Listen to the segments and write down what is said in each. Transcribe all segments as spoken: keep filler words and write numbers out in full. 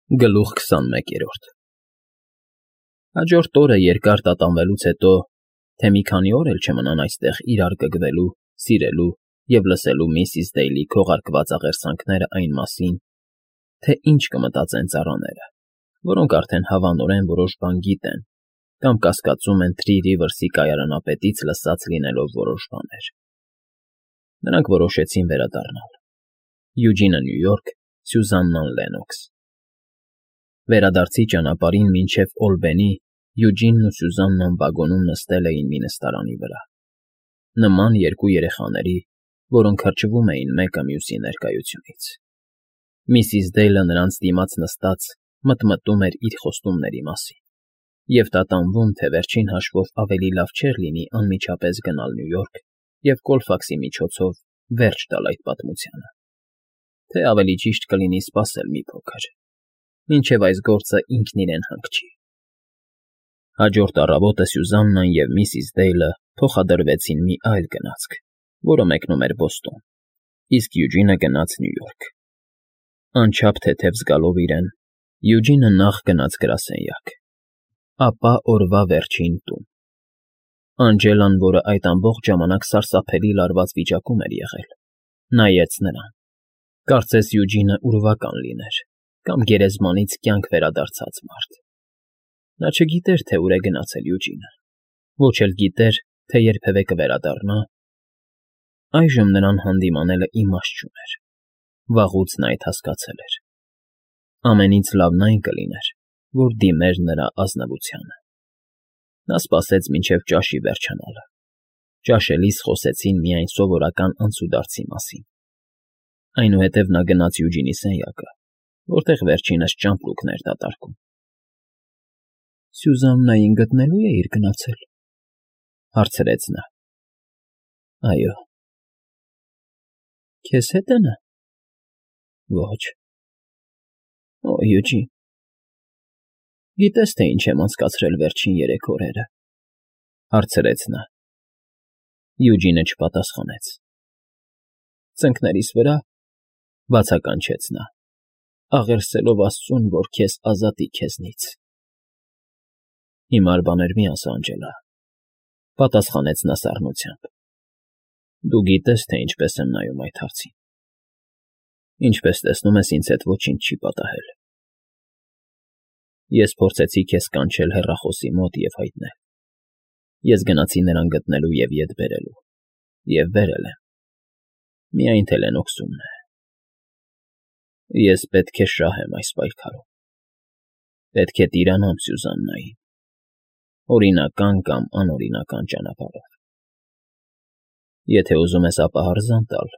Գլուխ քսանմեկերորդ Հաջորդ օրը երկար տատանվելուց հետո, թե մի քանի օր էլ չմնան այստեղ իրար կգվելու, սիրելու և լսելու միսիս Դեյլի քողարկված աղերսանքները այն մասին, թե ինչ կմտածեն ծառաները, որոնք արդեն հավանորեն որոշ բան գիտեն կամ կասկածում են Թրի Ռիվըրսի կայարանապետից լսած լինելով որոշ բաներ, նրանք որոշեցին վերադառնալ. Յուջինը՝ Նյու Յորք, Սյուզաննան՝ Լենոքս։ Վերադարձի ճանապարհին մինչև Օլբենի Յուջինն ու Սյուզաննան վագոնում նստել էին մի նստարանի վրա, նման երկու երեխաների, որոնք հրճվում էին մեկը մյուսի ներկայությունից։ Միսիս Դեյլը նրանց դիմաց նստած մտմտում էր իր խոստումների մասին և տատանվում, թե վերջին հաշվով ավելի լավ չէր լինի անմիջապես գնալ Նյու Յորք և Կոլֆաքսի միջոցով վերջ տալ այդ պատմությանը, թե ավելի ճիշտ կլինի սպասել մի փոքր, մինչև այս գործը ինքն իրեն հանգչի։ Հաջորդ առավոտը Սյուզաննան և միսիս Դեյլը փոխադրվեցին մի այլ գնացք, որը մեկնում էր Բոստոն, իսկ Յուջինը գնաց Նյու Յորք։ Անչափ թեթև զգալով իրեն, Յուջինը նախ գնաց գրասենյակ, ապա օրվա վերջին տուն։ Անջելան, որը այդ ամբողջ ժամանակ սարսափելի լարված վիճակում էր եղել, նայեց նրան, կարծես Յուջինը ուրվական լիներ կամ գերեզմանից կյանք վերադարձած մարդ։ Նա չգիտեր, թե ուր է գնացել Յուջինը, ոչ էլ գիտեր, թե երբևէ կվերադառնա։ Այժմ նրան հանդիմանելը իմաստ չուներ, վաղուց նա այդ հասկացել էր։ Ամենից լավն այն կլիներ, որ դիմեր նրա ազնվությանը։ Նա սպասեց մինչև ճաշի վերջանալը։ Ճաշելիս խոսեցին միայն սովորական անցուդարձի մասին։ Այնուհետև նա գնաց Յուջինի սենյակը, որտեղ վերջինս ճամպրուկն էր դատարկում։ ֊ Սյուզաննային գտնելո՞ւ էիր գնացել,֊ հարցրեց նա։ ֊ Այո։ ֊ Քեզ հետ է նա։ ֊ Ոչ։ ֊ Օ, Յուջին, գիտես, թե ինչ եմ անցկացրել վերջին երեք օրերը,֊ հարցրեց նա։ Յուջինը չպատասխանեց։ ֊ Ծնկներիս վրա,֊ բացականչեց նա,֊ աղերսելով աստծուն, որ քեզ ազատի քեզնից։ ֊ Հիմար բաներ մի ասա, Անջելա,֊ պատասխանեց նա սառնությամբ։ Դու գիտես, թե ինչպես եմ նայում այդ հարցին։ Ինչպես տեսնում ես, ինձ հետ ոչինչ չի պատահել։ Ես փորձեցի քեզ կանչել հեռախոսի մոտ և հայտնել։ Ես գնացի նրան գտնելու և ետ բերելու, և բերել եմ։ Միայն թե Լենոքսումն է։ Ես պետք է շահեմ այս պայքարում։ Պետք է տիրանամ Սյուզաննային, օրինական կամ անօրինական ճանապարհով։ Եթե ուզում ես ապահարզան տալ,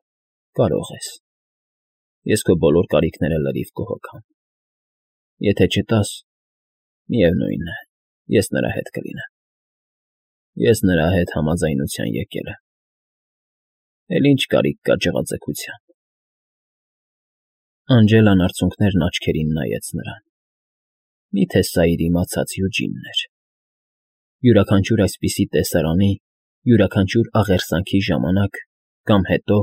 կարող ես։ Ես քո բոլոր կարիքները լրիվ կհոգամ։ Եթե չտաս, միևնույն է, ես նրա հետ կլինեմ։ Ես նրա հետ համաձայնության եկել եմ։ Էլ ինչ կարիք կա ջղաձգության։ Անջելան արցունքներն աչքերին նայեց նրան։ Մի՞թե սա իր իմացած Յուջինն էր։ Յուրաքանչյուր այսպիսի տեսարանի, յուրաքանչյուր աղերսանքի ժամանակ կամ հետո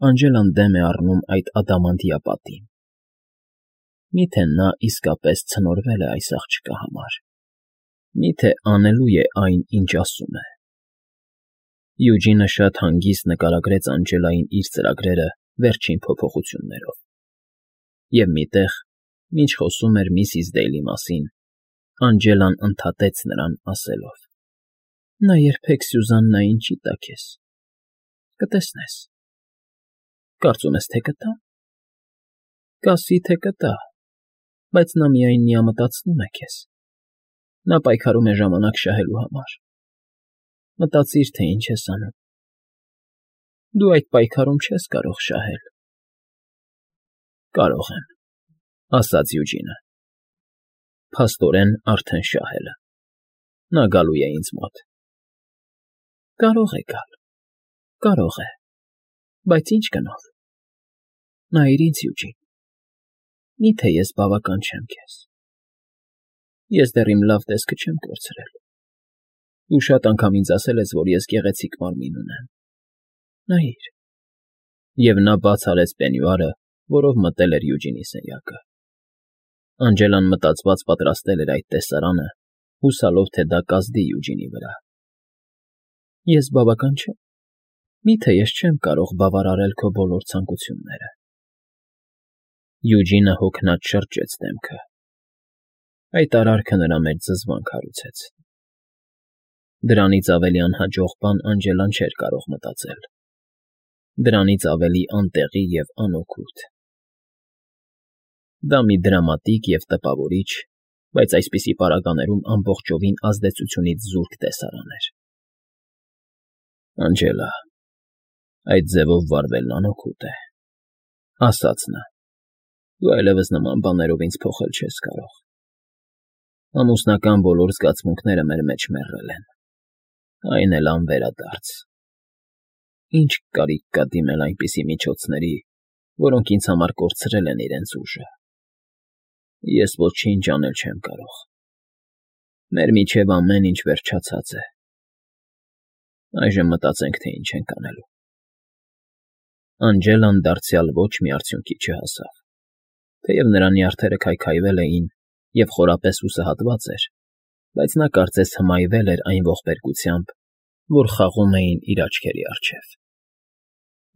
Անջելան դեմ է առնում այդ ադամանդյա պատին։ Մի՞թե նա իսկապես ցնորվել է այս աղջկա համար։ Մի՞թե անելու է այն, ինչ ասում է։ Յուջինը շատ հանգիստ նկարագրեց Անջելային իր ծրագրերը վերջին փոփոխություններով։ Եվ մի տեղ, մինչ խոսում էր միսիս Դեյլի մասին, Անջելան ընդհատեց նրան, ասելով. Նա երբեք Սյուզաննային չի տա քեզ։ Կտեսնես։ Կարծում ես, թե կտա։ Կասի, թե կտա, բայց նա միայն միամտածնում է քեզ։ Նա պայքարում է ժամանակ շահելու համար։ Մտածիր, թե ինչ ես անում։ Դու այդ պայքարում չես կարող շահել։ Կարող եմ,֊ ասաց Յուջինը։ Փաստորեն արդեն շահել է։ Նա գալու է ինձ մոտ։ Կարող է գալ, կարող է, բայց ի՞նչ գնով։ Նայիր ինձ, Յուջին, մի՞թե ես բավական չեմ քեզ։ Ես դեռ իմ լավ տեսքը չեմ կորցրել։ Դու շատ անգամ ինձ ասել ես, որ ես գեղեցիկ մարմին ունեմ։ Նայիր։ Եվ նա բաց արեց պենյուարը, որով մտել էր Յուջինի սենյակը։ Անջելան մտածված պատրաստել էր այդ տեսարանը, հուսալով, թե դա կազդի Յուջինի վրա։ Ես բավական չեմ։ Միթե ես չեմ կարող բավարարել քո բոլոր ցանկությունները։ Յուջինը հոգնած շրջեց դեմքը։ Այդ արարքը նրա մեջ զզվանք հարուցեց։ Դրանից ավելի անհաջող բան Անջելան չէր կարող մտածել։ Դրանից ավելի անտեղի և անօգուտ։ Դա մի դրամատիկ և տպավորիչ, բայց այսպիսի պարագաներում ամբողջովին ազդեցությունից զուրկ տեսարան էր։ Անջելա, այդ ձևով վարվելն անօգուտ է, ասաց նա։ Դու այլևս նման բաներով ինձ փոխել չես կարող։ Ամուսնական բոլոր զգացմունքները մեր մեջ մեռել են, այն էլ անվերադարձ։ Ինչ կարիք կա դիմել այնպիսի միջոցների, որոնք ինձ համար կորցրել են իրենց ուժը։ Ես ոչինչ անել չեմ կարող։ Մեր միջև ամեն ինչ վերջացած է։ Այժմ մտածենք, թե ինչ ենք անելու։ Անջելան դարձյալ ոչ մի արդյունքի չհասավ։ Թեև նրա նյարդերը քայքայվել էին և խորապես հուսահատված էր, բայց նա կարծես հմայվել էր այն ողբերգությամբ, որ խաղում էին իր աչքերի առջև։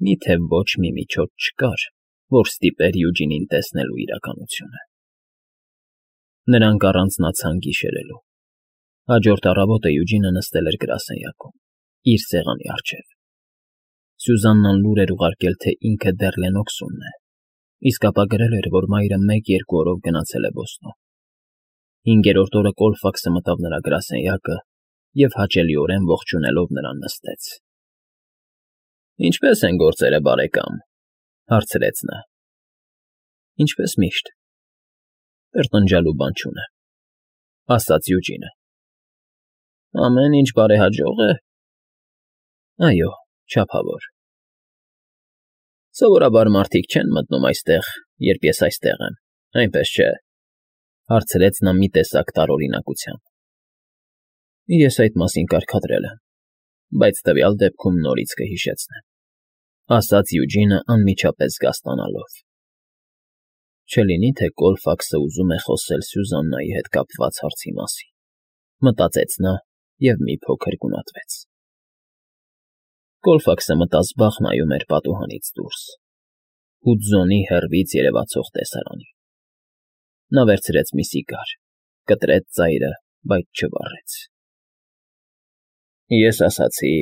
Միթե ոչ մի միջոց չկար, որ ստիպեր Յուջինին տեսնելու իրականությունը։ Նրանք առանձնացան գիշերելու։ Հաջորդ առավոտը Յուջինը նստել էր գրասենյակում, իր սեղանի առջև։ Սյուզաննան լուր էր ուղարկել, թե ինքը դեռ Լեննոքսումն է, իսկ ապա գրել էր, որ մայրը մեկ֊երկու օրով գնացել է Բոստոն։ Հինգերորդ օրը Կոլֆաքսը մտավ նրա գրասենյակը և հաճելիորեն ողջունելով նրան նստեց։ Ինչպե՞ս են գործերը, բարեկամ, հարցրեց նա։ Ինչպես միշտ։ Տրտնջալու բան չունեմ, ասաց Յուջինը։ Ամեն ինչ բարեհաջող է։ Այո, չափավոր։ Սովորաբար մարդիկ չեն մտնում այստեղ, երբ ես այստեղ եմ, այնպես չէ, հարցրեց նա մի տեսակ տարօրինակությամբ։ Ես այդ մասին կարգադրել եմ, բայց տվյալ դեպքում նորից կհիշեցնեմ, ասաց Յուջինը անմիջապես զգաստանալով։ Չլինի, թե Կոլֆաքսը ուզում է խոսել Սյուզաննայի հետ կապված հարցի մասին, մտածեց նա և մի փոքր գունատվեց։ Կոլֆաքսը մտազբաղ նայում էր պատուհանից դուրս, Հուդզոնի հեռվից երևացող տեսարանին։ Նա վերցրեց մի սիգար, կտրեց ծայրը, բայց չվառեց։ Ես ասացի,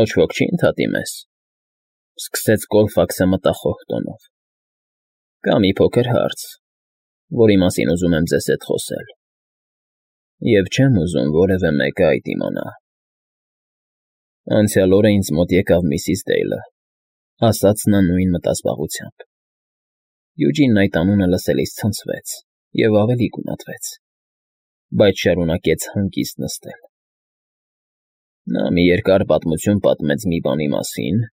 ոչ ոք չի ընդհատի մեզ, սկսեց Կոլֆաքսը մտախոհ տոնով։ Կա մի փոքր հարց, որի մասին ուզում եմ ձեզ հետ խոսել, և չեմ ուզում որևէ մեկը այդ իմանա։ Անցյալ օրը ինձ մոտ եկավ միսիս Դեյլը, ասաց նա նույն մտազբաղությամբ։ Յուջինն այդ անունը լսելիս ցնցվեց և ավելի գունատվեց, բայց շարունակեց հանգիստ նստել։ Նա մի երկար պատմություն պատմեց մի բանի մասին,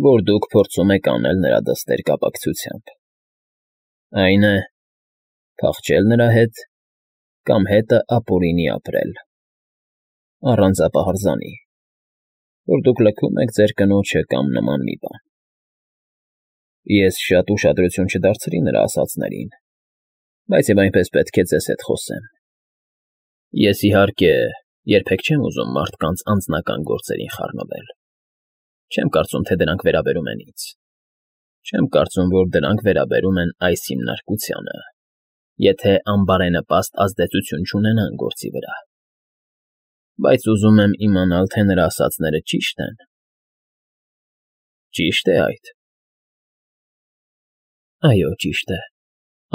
որ դուք փորձում եք անել նրա դստեր կապակցությամբ։ Այն է, փախչել նրա հետ կամ հետը ապօրինի ապրել, առանց ապահարզանի, որ դուք լքում եք ձեր կնոջը կամ նման մի բան։ Ես շատ ուշադրություն չդարձրի նրա ասածներին, բայց և այնպես պետք է ձեզ հետ խոսեմ։ Ես, իհարկե, երբեք չեմ ուզում մարդկանց անձնական գործերին խառնվել։ Չեմ կարծում, թե դրանք վերաբերում են ինձ։ Չեմ կարծում, որ դրանք վերաբերում են այս հիմնարկությանը, եթե անբարենպաստ ազդեցություն չունենան գործի վրա։ Բայց ուզում եմ իմանալ, թե նրա ասածները ճի՞շտ են։ Ճի՞շտ է այդ։ Այո, ճիշտ է,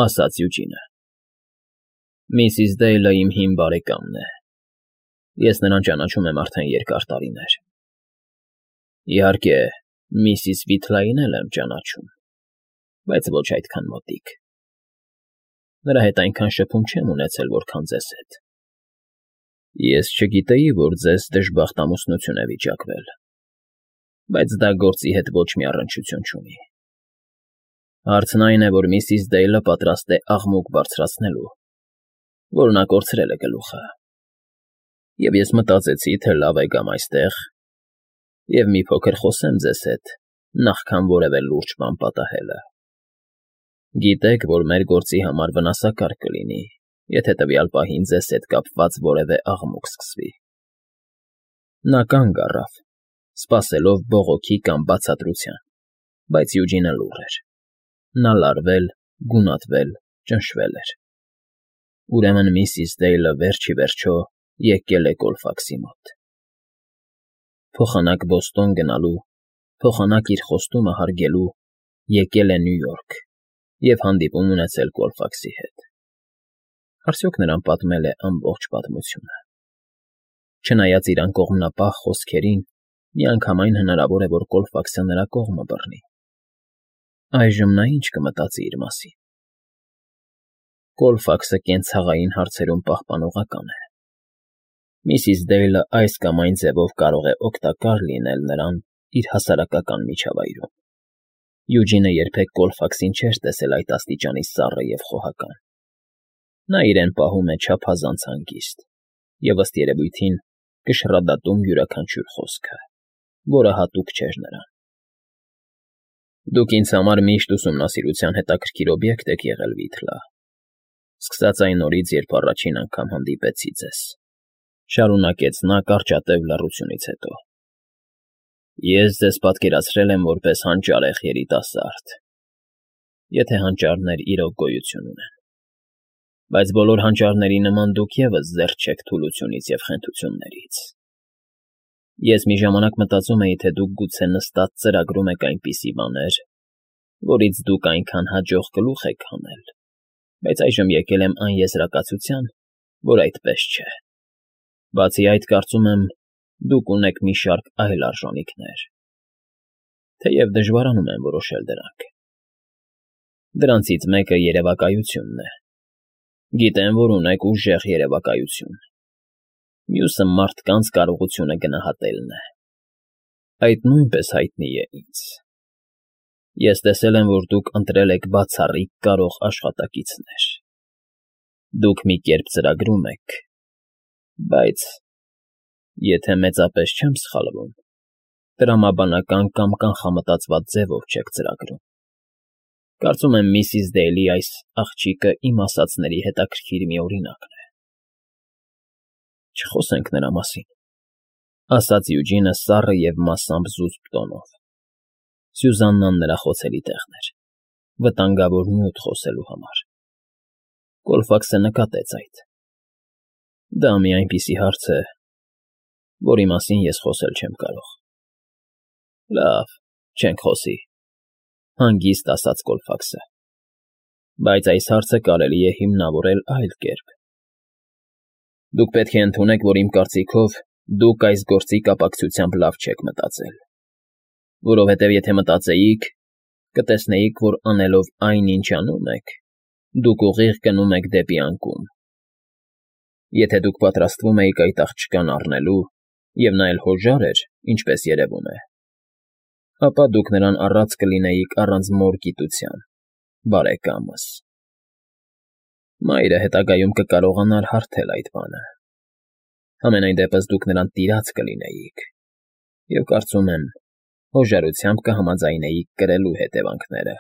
ասաց Յուջինը։ Միսիս Դեյլը իմ հին բարեկամն է։ Ես նրան ճանաչում եմ արդեն երկար տարիներ։ Իհարկե, միսիս Վիթլային էլ եմ ճանաչում, բայց ոչ այդքան մոտիկ։ Նրա հետ այնքան շփում չեմ ունեցել, որքան ձեզ հետ։ Ես չգիտեի, որ ձեզ դժբախտ ամուսնություն է վիճակվել, բայց դա գործի հետ ոչ մի առնչություն չունի։ Հարցն այն է, որ միսիս Դեյլը պատրաստ է աղմուկ բարձրացնելու, որ նա կորցրել է գլուխը։ Եվ ես մտածեցի, թե լավ է գամ այստեղ և մի փոքր խոսեմ ձեզ հետ, նախքան որևէ լուրջ բան պատահելը։ Գիտեք, որ մեր գործի համար վնասակար կլինի, եթե տվյալ պահին ձեզ հետ կապված որևէ աղմուկ սկսվի։ Նա կանգ առավ, սպասելով բողոքի կամ բացատրության, բայց Յուջինը լուռ էր։ Նա լարվել, գունատվել, ճնշվել էր։ Ուրեմն միսիս Դեյլը վերջ ի վերջո եկել է Կոլֆաքսի մոտ։ Փոխանակ Բոստոն գնալու, փոխանակ իր խոստումը հարգելու եկել է Նյու Յորք և հանդիպում ունեցել Կոլֆաքսի հետ։ Արդյոք նրան պատմել է ամբողջ պատմությունը։ Չնայած իր անկողմնապահ խոսքերին, միանգամայն հնարավոր է, որ Կոլֆաքսը նրա կողմը բռնի։ Այժմ նա ինչ կմտածի իր մասին։ Կոլֆաքսը կենցաղային հարցերում պահպանողական է։ Միսիս Դեյլը այս կամ այն ձևով կարող է օգտակար լինել նրան իր հասարակական միջավայրում։ Յուջինը երբեք Կոլֆաքսին չէր տեսել այդ աստիճանի սառը և խոհական։ Նա իրեն պահում է չափազանց հանգիստ և, ըստ երևույթին, կշռադատում յուրաքանչյուր խոսքը, որը հատուկ չէր նրան։ Դուք ինձ համար միշտ ուսումնասիրության հետաքրքիր օբյեկտ եք եղել, Վիթլա, սկսած այն օրից, երբ առաջին անգամ հանդիպեցի ձեզ,֊ շարունակեց նա կարճատև լռությունից հետո։ Ես ձեզ պատկերացրել եմ որպես հանճարեղ երիտասարդ, եթե հանճարներ իրոք գոյություն ունեն, բայց բոլոր հանճարների նման դուք ևս զերծ չեք թուլությունից և խենթություններից։ Ես մի ժամանակ մտածում էի, թե դուք գուցե նստած ծրագրում եք այնպիսի բաներ, որից դուք այնքան հաջող գլուխ եք հանել, բայց այժմ եկել եմ այն եզրակացության, որ այդպես չէ։ Բացի այդ, կարծում եմ, դուք ունեք մի շարք այլ արժանինքներ, թեև դժվարանում եմ որոշել դրանք։ Դրանցից մեկը երևակայությունն է։ Գիտեմ, որ ունեք ուժեղ երևակայություն։ Մյուսը մարդկանց կարողությունը գնահատելն է։ Այդ նույնպես հայտնի է ինձ։ Ես տեսել եմ, որ դուք ընտրել եք բացառիկ կարող աշխատակիցներ։ Դուք մի կերպ ծրագրում եք, բայց, եթե մեծապես չեմ սխալվում, տրամաբանական կամ կանխամտածված ձևով չեք ծրագրում։ Կարծում եմ միսիս Դեյլի այս աղջիկը իմ ասածների հետաքրքիր մի օրինակն է։ Չխոսենք նրա մասին,֊ ասաց Յուջինը սառը և մասամբ զուսպ տոնով։ Սյուզաննան նրա խոցելի տեղն էր, վտանգավոր նյութ խոսելու համար։ Կոլֆաքսը նկատեց այդ։ Դա մի այնպիսի հարց է, որի մասին ես խոսել չեմ կարող։ Լավ, չենք խոսի,֊ հանգիստ ասաց Կոլֆաքսը։ Բայց այս հարցը կարելի է հիմնավորել այլ կերպ։ Դուք պետք է ընդունեք, որ իմ կարծիքով դուք այս գործի կապակցությամբ լավ չեք մտածել, որովհետև եթե մտածեիք, կտեսնեիք, որ անելով այն, ինչ անում եք, դուք ուղիղ գնում եք դեպի անկում։ Եթե դուք պատրաստվում էիք այդ աղջկան առնելու, և նա էլ հոժար էր, ինչպես երևում է, ապա դուք նրան առած կլինեիք առանց մոր գիտության, բարեկամս։ Մայրը հետագայում կկարողանար հարթել այդ բանը։ Համենայն դեպս դուք նրան տիրած կլինեիք, և կարծում եմ, հոժարությամբ կհամաձայնեիք կրելու հետևանքները,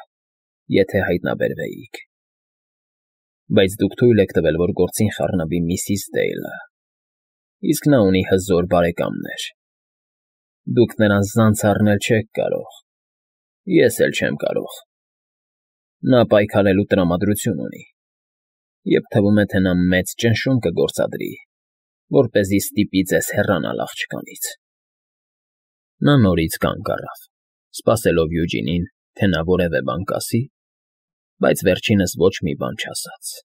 եթե հայտնաբերվեիք։ Բայց դուք թույլ եք տվել, որ գործին խառնվի միսիս Դեյլը, իսկ նա ունի հզոր բարեկամներ։ Դուք նրան զանց առնել չեք կարող, ես էլ չեմ կարող։ Նա պայքարելու տրամադրություն ունի, և թվում է, թե նա մեծ ճնշում կգործադրի, որպեսզի ստիպի ձեզ հեռանալ աղջկանից։ Նա նորից կանգ առավ, սպասելով Յուջինին, թե նա որևէ բան կասի, բայց վերջինս ոչ մի բան չասաց։